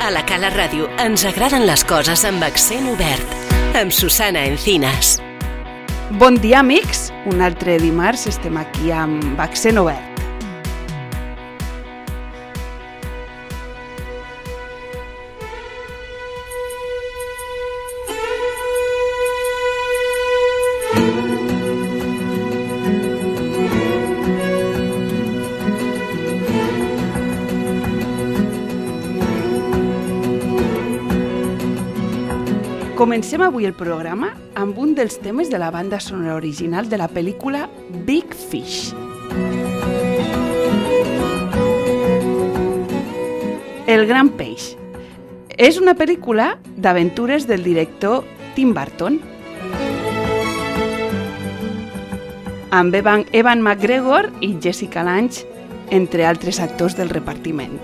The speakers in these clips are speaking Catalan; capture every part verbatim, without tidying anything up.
A la Cala Ràdio ens agraden les coses amb accent obert. Amb Susana Encinas. Bon dia, amics. Un altre dimarts estem aquí amb accent obert. Comencem avui el programa amb un dels temes de la banda sonora original de la pel·lícula Big Fish. El gran peix. És una pel·lícula d'aventures del director Tim Burton, amb Evan, Evan McGregor i Jessica Lange, entre altres actors del repartiment.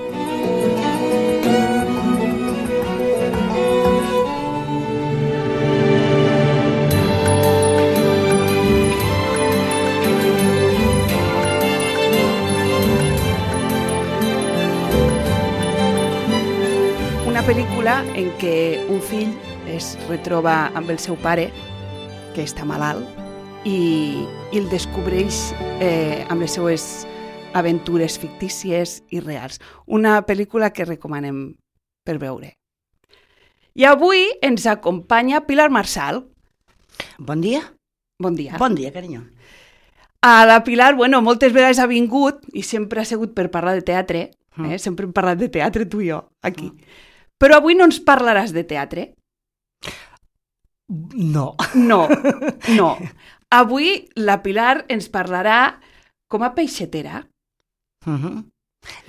Una pel·lícula en què un fill es retroba amb el seu pare, que està malalt, i, i el descobreix eh, amb les seues aventures fictícies i reals. Una pel·lícula que recomanem per veure. I avui ens acompanya Pilar Marsal. Bon dia. Bon dia. Bon dia, carinyo. A la Pilar, bueno, moltes vegades ha vingut i sempre ha sigut per parlar de teatre. Eh? Sempre hem parlat de teatre, tu i jo, aquí. Mm. Però avui no ens parlaràs de teatre? No. No, no. Avui la Pilar ens parlarà com a peixetera. Uh-huh.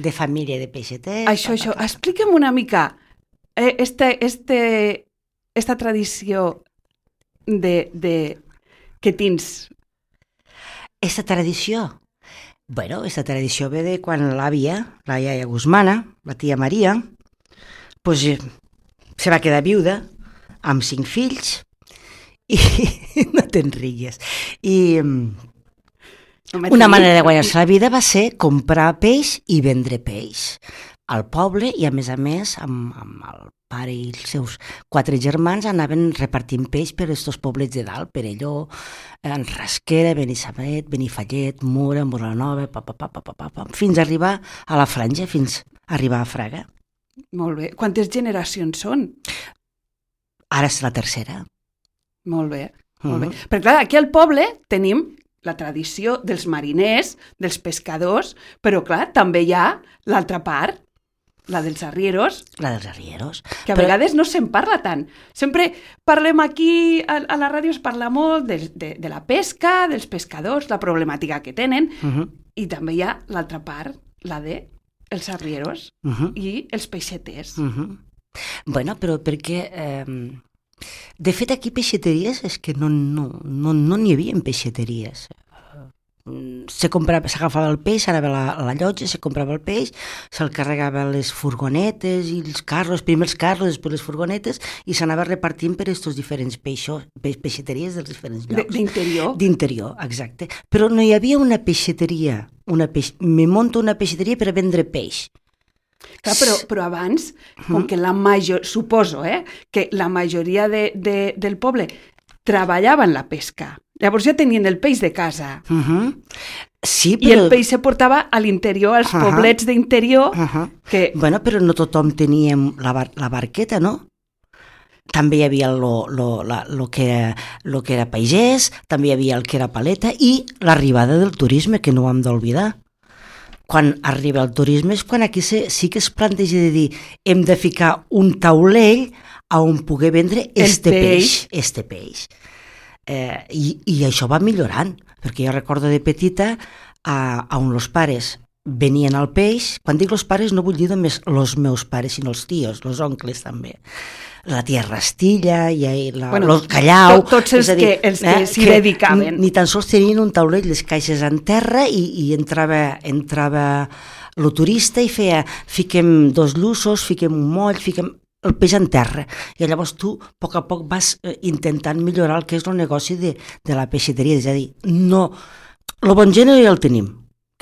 De família de peixeters. Això, això. Explica'm una mica eh, este, este, esta tradició de, de, que tens. Esta tradició? Bueno, esta tradició ve de quan l'àvia, la iaia Guzmana, la tia Maria, pues, eh, se va quedar viuda amb cinc fills i no te'n rigues. I no una manera de guanyar-se la vida va ser comprar peix i vendre peix al poble i, a més a més, amb, amb el pare i els seus quatre germans anaven repartint peix per estos poblets de dalt, Perelló, en Rasquera, Benissanet, Benifallet, Mura, Moranova, pa, pa, pa, pa, pa, pa, fins a arribar a la Franja, fins a arribar a Fraga. Molt bé. Quantes generacions són? Ara és la tercera. Molt bé, molt uh-huh. bé. Perquè clar, aquí al poble tenim la tradició dels mariners, dels pescadors, però clar, també hi ha l'altra part, la dels arrieros. La dels arrieros. Que a però... vegades no se'n parla tant. Sempre parlem aquí, a, a la ràdio es parla molt de, de, de la pesca, dels pescadors, la problemàtica que tenen, uh-huh. i també hi ha l'altra part, la de els arrieros uh-huh. i els peixeters. Uh-huh. Bueno, però perquè... Eh, de fet, aquí peixeteries és que no n'hi no, no, no n'hi havia peixeteries. Se comprava, s'agafava el peix, s'anava a la, a la llotja, se comprava el peix, se'l carregava les furgonetes i els carros, primer els carros, després les furgonetes, i s'anava repartint per aquests diferents peixos, peixeteries dels diferents llocs. D'interior? D'interior, exacte. Però no hi havia una peixeteria, una peix... me monto una peixeteria per a vendre peix. Clar, però, però abans, com que la major... suposo, eh, que la majoria de, de, del poble treballaven la pesca. Llavors ja tenien el peix de casa. Uh-huh. Sí, però... I el peix se portava a l'interior, als uh-huh. poblets d'interior. Uh-huh. Que... Bueno, però no tothom teníem la, bar la barqueta, no? També hi havia lo, lo, la, lo, que era, lo que era pagès, també hi havia el que era paleta i l'arribada del turisme, que no ho hem d'oblidar. Quan arriba el turisme és quan aquí se, sí que es planteja de dir hem de ficar un taulell on poder vendre este peix. peix, este peix. Eh, i, I això va millorant, perquè jo recordo de petita a, a on els pares venien al peix, quan dic els pares no vull dir només els meus pares, sinó els tios, els oncles també. La tia Rastilla i la, bueno, el Callau... To, tots els dir, que, els que eh, s'hi dedicaven. Ni, ni tan sols tenien un taulell, les caixes en terra i, i entrava, entrava el turista i feia, fiquem dos lluços, fiquem un moll, fiquem el peix en terra. I llavors tu, a poc a poc, vas eh, intentant millorar el que és el negoci de, de la peixeteria. És a dir, no... El bon gènere ja el tenim,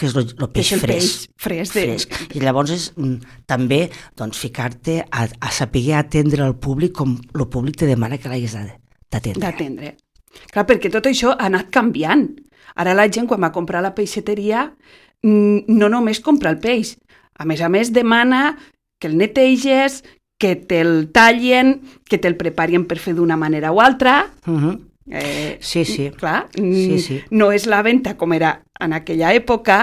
que és el peix és el fresc. peix fresc, de... fresc. I llavors és mm, també doncs, ficar-te a, a saber atendre el públic com el públic te demana que l'hagués d'atendre. D'atendre. Clar, perquè tot això ha anat canviant. Ara la gent, quan va comprar a la peixateria, no només compra el peix. A més a més, demana que el neteges, que te'l tallen, que te'l preparien per fer d'una manera o altra. Uh-huh. Eh, sí, sí. Clar, sí, sí. No és la venda com era en aquella època,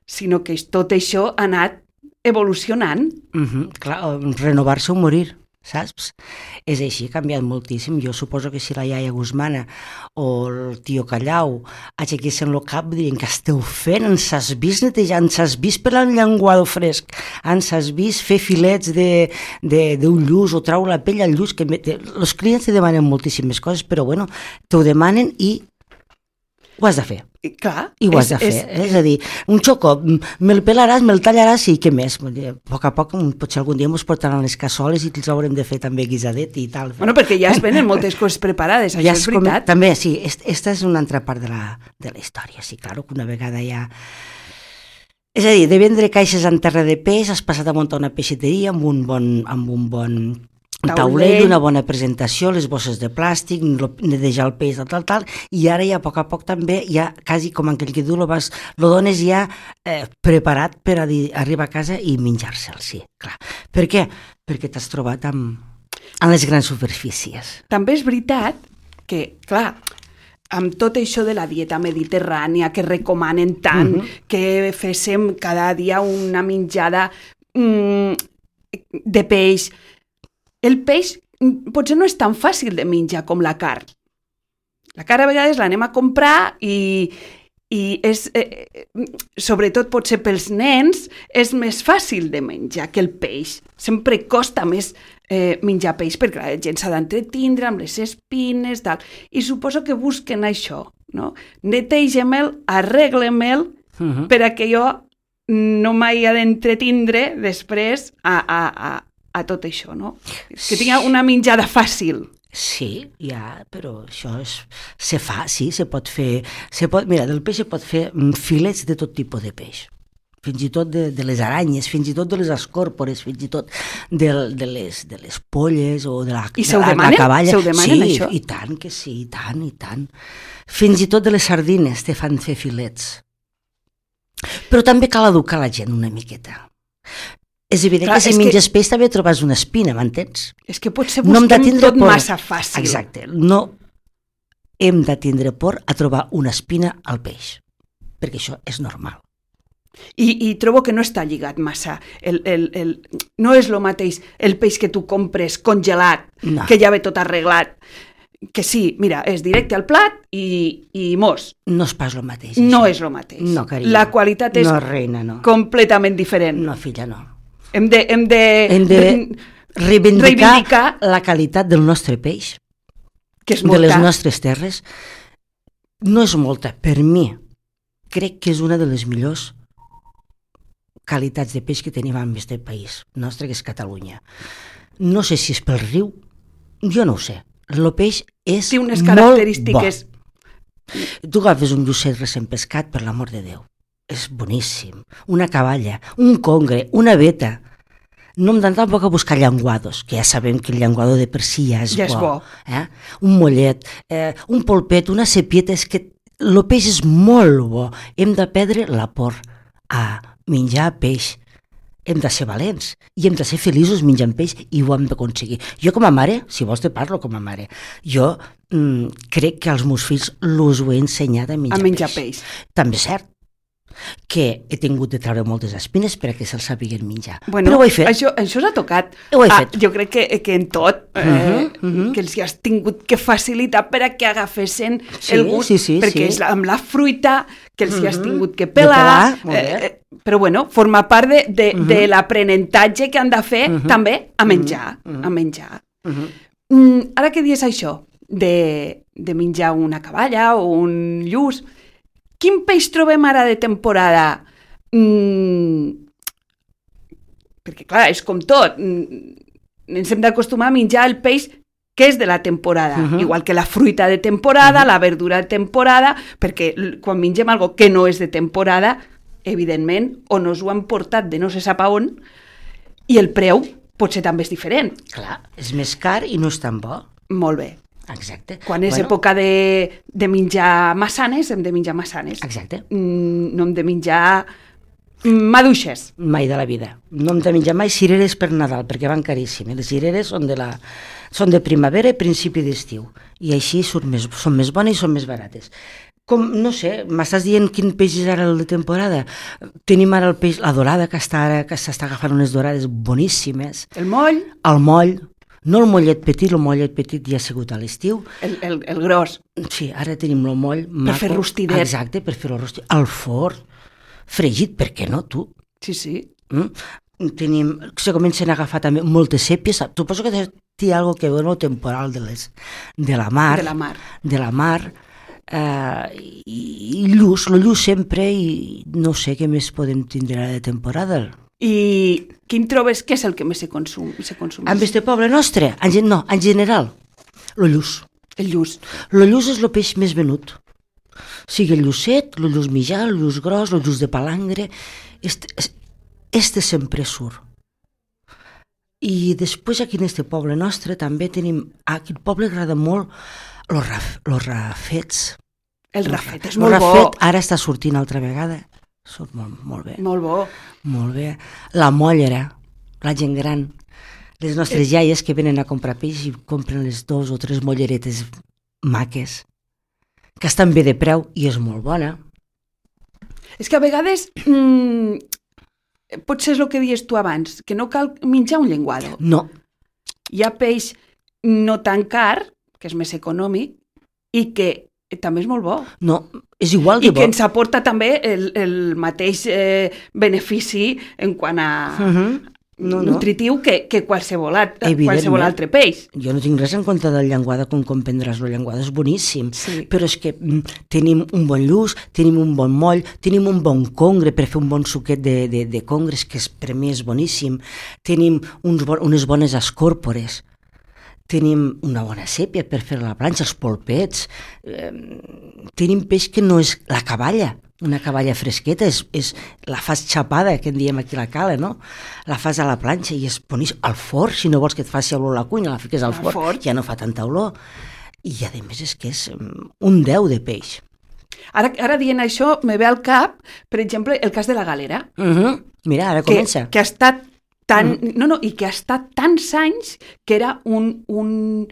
sinó que tot això ha anat evolucionant. Uh-huh. Clar, renovar-se o morir, saps? És així, ha canviat moltíssim. Jo suposo que si la iaia Guzmana o el tio Callau aixequessin el cap, dirien que esteu fent, ens has vist netejar, ens has vist per l'enllenguado fresc, ens has vist fer filets d'un lluç o trau la pell al lluç, que els clients te demanen moltíssimes coses, però bueno, t'ho demanen i ho has de fer. I, clar, I ho has és, de fer. És, és, és a dir, un xocó, me'l pelaràs, me'l tallaràs i què més? A poc a poc, potser algun dia ens portaran les cassoles i els haurem de fer també guisadet i tal. Bueno, perquè ja es venen moltes coses preparades, això ja és veritat. Com, també, sí, aquesta és una altra part de la, de la història. Sí, claro, que una vegada ja... És a dir, de vendre caixes en terra de peix, has passat a muntar una peixateria amb un bon, amb un bon taulell, una bona presentació, les bosses de plàstic, netejar el peix, tal, tal, tal, i ara ja a poc a poc també, ja quasi com aquell que diu, lo, vas, lo dones ja eh, preparat per a dir, arribar a casa i menjar-se'l, sí, clar. Per què? Perquè t'has trobat amb, amb les grans superfícies. També és veritat que, clar, amb tot això de la dieta mediterrània que recomanen tant, uh-huh. que féssim cada dia una menjada mm, de peix, el peix potser no és tan fàcil de menjar com la carn. La carn a vegades l'anem a comprar i, i és, eh, sobretot potser pels nens, és més fàcil de menjar que el peix. Sempre costa més eh, menjar peix perquè la gent s'ha d'entretindre amb les espines, tal. I suposo que busquen això, no? Netegem-el, arreglem-el, uh-huh. per a que jo no m'hi ha d'entretindre després a... a, a a tot això, no? Que tinga una menjada fàcil. Sí, ja, però això és, se fa, sí, se pot fer... Se pot, mira, del peix se pot fer filets de tot tipus de peix. Fins i tot de, de les aranyes, fins i tot de les escòrpores, fins i tot de, de, les, de les polles o de la, I se ho de la, demanen? la cavalla. Se ho demanen, sí, això? I tant que sí, i tant, i tant. Fins i tot de les sardines te fan fer filets. Però també cal educar la gent una miqueta. És evident Clar, que si menges que... peix també trobes una espina, m'entens? És que potser busquem no tot por. Massa fàcil. Exacte. No hem de tindre por a trobar una espina al peix, perquè això és normal. I, i trobo que no està lligat massa. El, el, el, no és el mateix el peix que tu compres congelat, no. que ja ve tot arreglat, que sí, mira, és directe al plat i, i mos. No és pas el mateix. No això. És el mateix. No, carinyo. La qualitat és no, reina, no. completament diferent. No, filla, no. Hem de, hem de, hem de reivindicar, reivindicar la qualitat del nostre peix, que és molta. De les nostres terres. No és molta, per mi. Crec que és una de les millors qualitats de peix que tenim en aquest país nostre, que és Catalunya. No sé si és pel riu, jo no ho sé. El peix és Té unes característiques. Molt bo. Tu agafes un llucet recent pescat, per l'amor de Déu. És boníssim. Una cavalla, un congre, una veta. No em dan tampoc a buscar llenguados, que ja sabem que el llenguado de per si ja és ja bo. És bo. Eh? Un mollet, eh, un polpet, una cepieta, és que el peix és molt bo. Hem de perdre la por a menjar peix. Hem de ser valents i hem de ser feliços menjant peix i ho hem d'aconseguir. Jo com a mare, si vols te parlo com a mare, jo mm, crec que als meus fills els ho he ensenyat a menjar, a menjar peix. peix. També és cert que he tingut de treure moltes espines perquè se'ls sapiguin menjar. Bueno, però ho he fet. Això, això s'ha tocat. Ho he ah, fet. Jo crec que, que en tot, eh, uh-huh, uh-huh. que els hi has tingut que facilitar per a que agafessin sí, el gust, sí, sí, perquè sí. és la, amb la fruita que els uh-huh. hi has tingut que pelar. pelar, eh, però bueno, forma part de, de, uh-huh. de l'aprenentatge que han de fer uh-huh. també a menjar. Uh-huh. A menjar. Uh-huh. Mm, ara que dius això, de, de menjar una cavalla o un lluç, quin peix trobem ara de temporada? Mm, perquè clar, és com tot, ens hem d'acostumar a menjar el peix que és de la temporada, uh-huh. igual que la fruita de temporada, uh-huh. la verdura de temporada, perquè quan mengem algo que no és de temporada, evidentment, o nos ho han portat de no se sap a on, i el preu potser també és diferent. Clar, és més car i no és tan bo. Molt bé. Exacte. Quan és bueno. època de, de menjar massanes, hem de menjar massanes. Exacte. Mm, no hem de menjar maduixes. Mai de la vida. No hem de menjar mai cireres per Nadal, perquè van caríssimes. Les cireres són de, la, són de primavera i principi d'estiu. I així són més, són més bones i són més barates. Com, no sé, m'estàs dient quin peix és ara el de temporada? Tenim ara el peix, la dorada, que està ara, que s'està agafant unes dorades boníssimes. El moll. El moll. No el mollet petit, el mollet petit ja ha sigut a l'estiu. El, el, el gros. Sí, ara tenim el moll maco. Per fer rostidet. Exacte, per fer el rostidet. Al forn, fregit, per què no, tu? Sí, sí. Mm? Tenim, se comencen a agafar també moltes sèpies. Suposo que té alguna cosa que veure amb el temporal de, les, de la mar. De la mar. De la mar. Uh, i, i lluç, el lluç sempre, i no sé què més podem tindre ara de temporada. I quin trobes que és el que més se consum? Se consum? En este poble nostre? En, no, en general, el lluç. El lluç. El lluç és el peix més venut. Sigui el llucet, el lluç mitjà, el lluç gros, el lluç de palangre, este, este sempre surt. I després aquí en este poble nostre també tenim, aquí al poble agrada molt els raf, rafets. El rafet és el molt rafet bo. Ara està sortint altra vegada. Surt molt, molt bé. Molt bo. Molt bé. La mollera, la gent gran, les nostres eh. iaies que venen a comprar peix i compren les dos o tres molleretes maques, que estan bé de preu i és molt bona. És que a vegades, mmm, potser és el que dius tu abans, que no cal menjar un llenguado. No. Hi ha peix no tan car, que és més econòmic, i que també és molt bo. No, és igual de I bo. que ens aporta també el, el mateix eh, benefici en quant a uh-huh. no, no. nutritiu que, que qualsevol, altre, qualsevol altre peix. Jo no tinc res en compte del llenguada, com comprendràs, el llenguada és boníssim, sí. Però és que mm, tenim un bon lluç, tenim un bon moll, tenim un bon congre per fer un bon suquet de, de, de congres, que és, per mi és boníssim, tenim uns bon, unes bones escòrpores, tenim una bona sèpia per fer la planxa, els polpets, eh, tenim peix que no és la caballa, una caballa fresqueta, és, és la fas xapada, que en diem aquí a la cala, no? La fas a la planxa i és boníssim. Al forn, si no vols que et faci olor a la cuina, la fiques al forn, forn, ja no fa tanta olor. I a més és que és un deu de peix. Ara, ara dient això, me ve al cap, per exemple, el cas de la galera. Uh-huh. Mira, ara comença. Que, que ha estat Tan, no, no, i que ha estat tants anys que era un, un,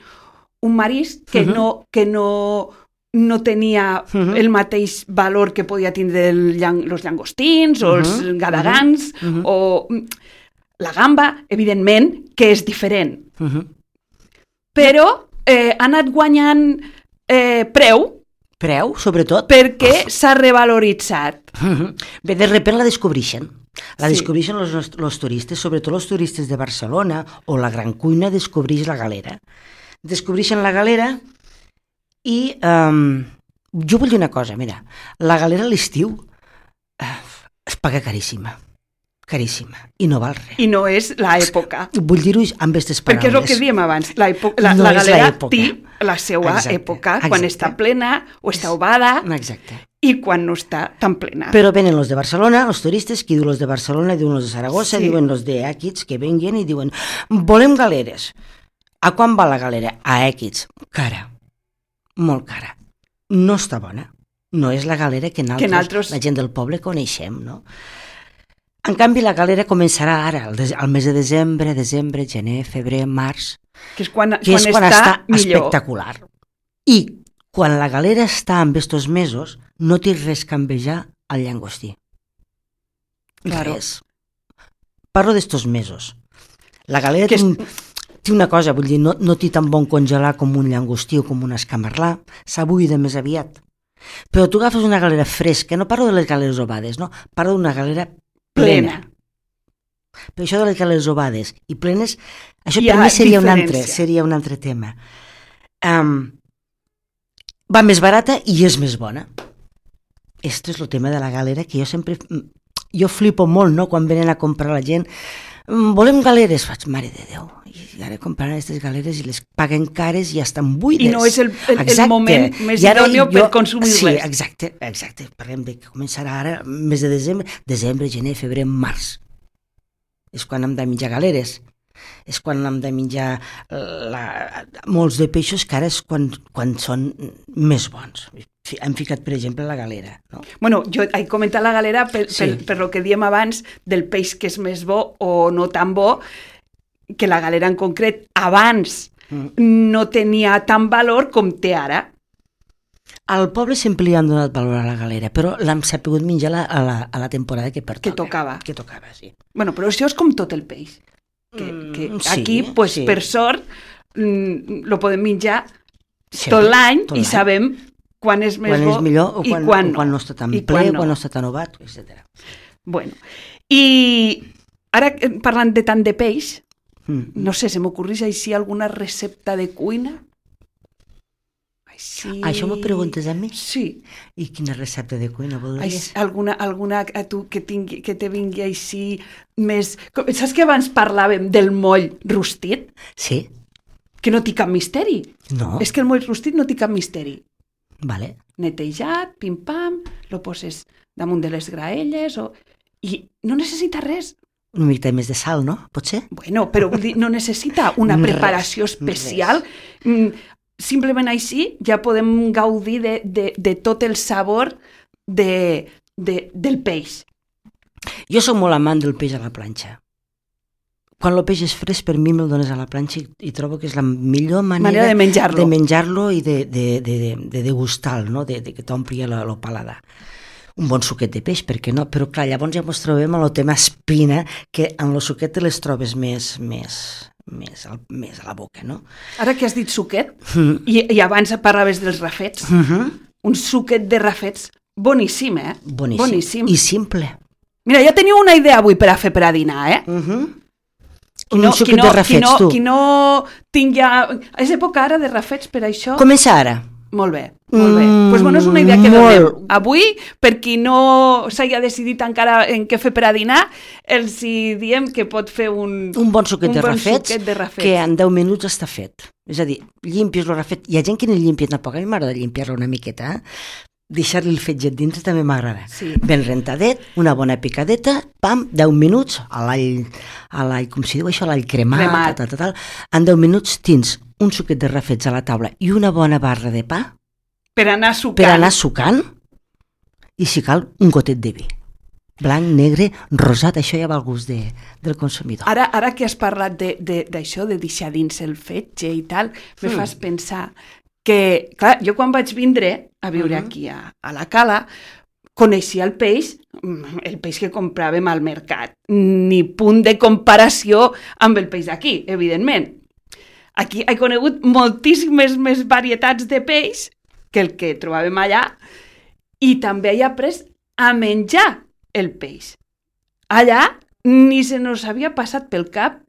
un marisc que, uh-huh. no, que no, no tenia uh-huh. el mateix valor que podia tindre el, els llangostins o uh-huh. els gadagans uh-huh. o la gamba, evidentment, que és diferent. Uh-huh. Però eh, ha anat guanyant eh, preu. Preu, sobretot. Perquè s'ha revaloritzat. Uh-huh. Bé, de repent la descobreixen. La sí. descobreixen els turistes, sobretot els turistes de Barcelona o la Gran Cuina descobreix la galera. Descobreixen la galera i um, jo vull dir una cosa, mira, la galera a l'estiu uh, es paga caríssima, caríssima, i no val res. I no és l'època. Vull dir-ho amb aquestes paraules. Perquè és el que diem abans, la, la, no la galera té la seva exacte, època, exacte. Quan està plena o està ovada. Exacte. I quan no està tan plena. Però venen els de Barcelona, els turistes, qui diu els de Barcelona, diuen els de Saragossa, sí. Diuen els de Èquits, que venguen i diuen, volem galeres. A quan va la galera? A Èquits. Cara. Molt cara. No està bona. No és la galera que nosaltres, que nosaltres... la gent del poble, coneixem, no? En canvi, la galera començarà ara, al mes de desembre, desembre, gener, febrer, març, que és quan, que quan, és quan està, està millor. Espectacular. I quan la galera està en estos mesos, no té res que envejar al llangostí. Claro. Res. Parlo d'estos mesos. La galera té, un, té una cosa, vull dir, no, no té tan bon congelar com un llangostí o com un escamarlà, s'abuida més aviat. Però tu agafes una galera fresca, no parlo de les galeres ovades, no? Parlo d'una galera plena. plena. Però això de les galeres ovades i plenes, això per mi seria un, altre, seria un altre tema. Um, va més barata i és més bona. Esto és el tema de la galera que jo sempre... Jo flipo molt, no?, quan venen a comprar la gent volem galeres. Faig, mare de Déu, i ara compraran aquestes galeres i les paguen cares i ja estan buides. I no és el, el, el moment més idòneo per consumir-les. Sí, exacte, exacte. Parlem de que començarà ara, mes de desembre, desembre, gener, febrer, març. És quan hem de menjar galeres. És quan hem de menjar la, molts de peixos que ara és quan, quan són més bons. Hem ficat, per exemple, la galera. No? Bueno, jo he comentat la galera per, sí. per, per lo que diem abans del peix que és més bo o no tan bo, que la galera en concret abans mm. no tenia tant valor com té ara. Al poble sempre li han donat valor a la galera, però l'hem sapigut menjar la, a, la, a la temporada que pertoca. Que tocava. Que tocava, sí. Bueno, però això és com tot el peix. Que, que mm, aquí, sí, pues, sí. per sort, mm, lo podem menjar sempre, tot l'any i l'any. Sabem quan és més quan bo és millor, o i quan, quan, o quan no està tan ple, quan no. quan no està tan ovat, etcètera. Bueno, i ara parlant de tant de peix, mm. no sé, se m'ocorreix així alguna recepta de cuina? Així... Això m'ho preguntes a mi? Sí. I quina recepta de cuina voldries? Així, alguna, alguna a tu que, tingui, que te vingui així més... Saps que abans parlàvem del moll rostit? Sí. Que no té cap misteri. No. És que el moll rostit no té cap misteri. Vale. Netejat, pim-pam, lo poses damunt de les graelles o... i no necessita res. Una mica més de sal, no? Potser? Bueno, però vull dir, no necessita una preparació res, especial. Res. Simplement així ja podem gaudir de, de, de tot el sabor de, de, del peix. Jo soc molt amant del peix a la planxa. Quan el peix és fresc, per mi me'l dones a la planxa i, i trobo que és la millor manera, manera de menjar-lo de menjar-lo i de, de, de, de, de degustar-lo, no? de, de que t'ompli el paladar. Un bon suquet de peix, per què no? Però clar, llavors ja ens trobem amb el tema espina, que en el suquet te les trobes més, més, més, al, més a la boca, no? Ara que has dit suquet, mm. i, i abans parlaves dels rafets, mm-hmm. un suquet de rafets boníssim, eh? Boníssim. boníssim. I simple. Mira, ja teniu una idea avui per a fer per a dinar, eh? Mm-hmm. Qui no, un suquet qui no, de rafets, qui no, tu. Qui no tingui... És època ara de rafets, per això... Comença ara. Molt bé, molt bé. Mm, pues bueno, és una idea que donem avui, per qui no s'hagi decidit encara en què fer per a dinar, els hi diem que pot fer un... Un bon suquet, un de, bon rafets, suquet de rafets, que en deu minuts està fet. És a dir, llimpis el rafet. Hi ha gent que no llimpia tampoc, a mi m'agrada llimpiar-lo una miqueta, eh? Deixar-li el fetget dintre també m'agrada. Sí. Ben rentadet, una bona picadeta, pam, deu minuts, a l'all, a l'all, com si diu això, a l'all cremat, cremat. Tal, tal, tal. En deu minuts tens un suquet de rafets a la taula i una bona barra de pa per anar sucant. Per anar sucant, i si cal, un gotet de vi. Blanc, negre, rosat, això ja va al gust de, del consumidor. Ara, ara que has parlat d'això, de, de, de deixar dins el fetge i tal, mm. me fas pensar que, clar, jo quan vaig vindre a viure mm-hmm. aquí a, a la Cala, coneixia el peix, el peix que compràvem al mercat. Ni punt de comparació amb el peix d'aquí, evidentment. Aquí he conegut moltíssimes més varietats de peix que el que trobàvem allà, i també he après a menjar el peix. Allà ni se nos havia passat pel cap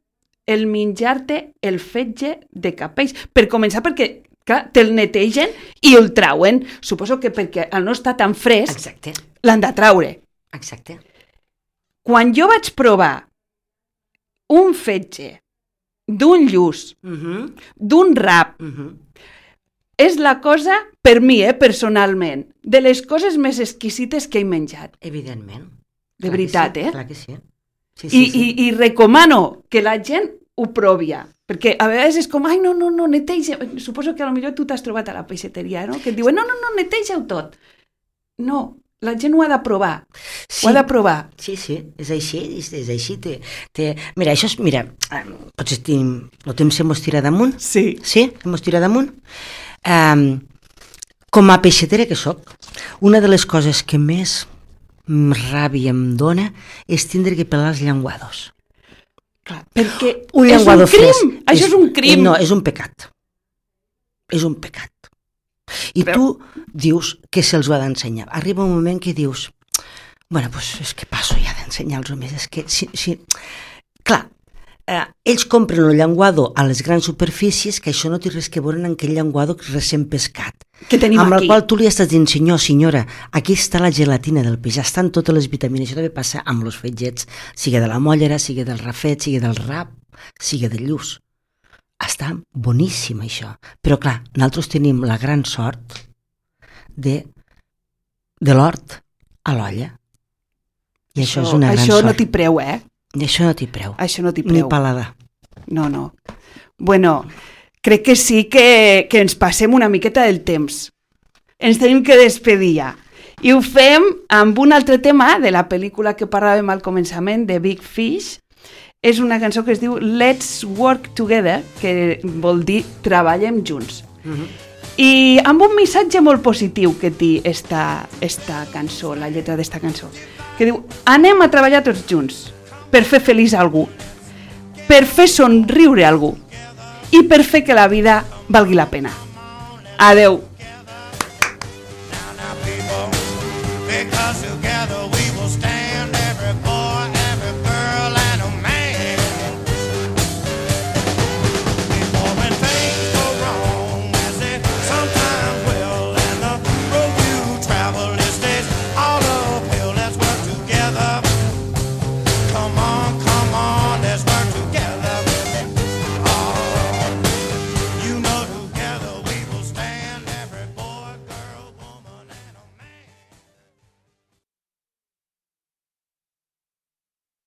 el menjar-te el fetge de cap peix. Per començar, perquè clar, te'l netegen i el trauen. Suposo que perquè al no estar tan fresc, exacte, l'han de traure. Exacte. Quan jo vaig provar un fetge d'un lluç, uh-huh. d'un rap, uh-huh. és la cosa, per mi, eh, personalment, de les coses més exquisites que he menjat. Evidentment. De clar veritat, sí, eh? Clar que sí. Sí, sí, I, sí. I, I recomano que la gent ho provia, perquè a vegades és com, ai, no, no, no, neteja. Suposo que potser tu t'has trobat a la peixateria, no? Que et diuen, no, no, no, neteja-ho tot. No, la gent ho ha de provar. Sí, ho ha de provar. Sí, sí, és així, és, és així. Té, té... Mira, això és, mira, potser tenim, el temps se mos tira damunt. Sí. Sí, se mos tira damunt. Um, com a peixatera que sóc, una de les coses que més ràbia em dona és tindre que pelar els llenguados. Clar, perquè un és un crim, fresc. això és, és un crim. No, és un pecat. És un pecat. I Però... tu dius que se'ls va d'ensenyar. Arriba un moment que dius, bueno, pues és que passo ja d'ensenyar als homes, és que si, si... clar, eh, ells compren el llenguado a les grans superfícies, que això no té res que veure amb aquell llenguado recent pescat. Que tenim amb aquí. el qual tu li estàs dient, senyor, senyora, aquí està la gelatina del peix, estan totes les vitamines. Això també passa amb els fetgets, sigui de la mollera, sigui del rafet, sigui del rap, sigui del lluç. Està boníssim, això. Però, clar, nosaltres tenim la gran sort de, de l'hort a l'olla. I això, això és una gran això sort. no t'hi preu, eh? I això no t'hi preu. Això no t'hi preu. Ni paladar. No, no. Bueno, crec que sí que, que ens passem una miqueta del temps. Ens tenim que despedir ja. I ho fem amb un altre tema de la pel·lícula que parlàvem al començament, de Big Fish. És una cançó que es diu Let's Work Together, que vol dir Treballem junts. Uh-huh. I amb un missatge molt positiu que té esta, esta cançó, la lletra d'esta cançó, que diu: anem a treballar tots junts per fer feliç algú, per fer somriure algú i per fer que la vida valgui la pena. Adeu!